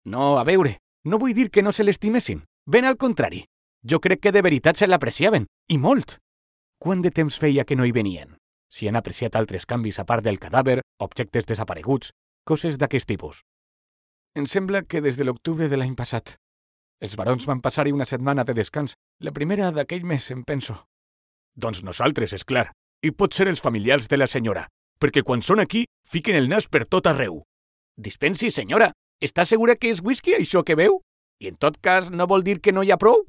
No, a veure, no vull dir que no se l'estimessin. Ben al contrari. Jo crec que de veritat se l'apreciaven, i molt. Quant de temps feia que no hi venien? Si han apreciat altres canvis a part del cadàver, objectes desapareguts, coses d'aquest tipus. Em sembla que des de l'octubre de l'any passat. Els barons van passar-hi una setmana de descans, la primera d'aquell mes, em penso. Doncs nosaltres, és clar. I pot ser els familiars de la senyora, perquè quan són aquí, fiquen el nas per tot arreu. Dispensi, senyora, està segura que és whisky això que veu? I en tot cas, no vol dir que no hi ha prou?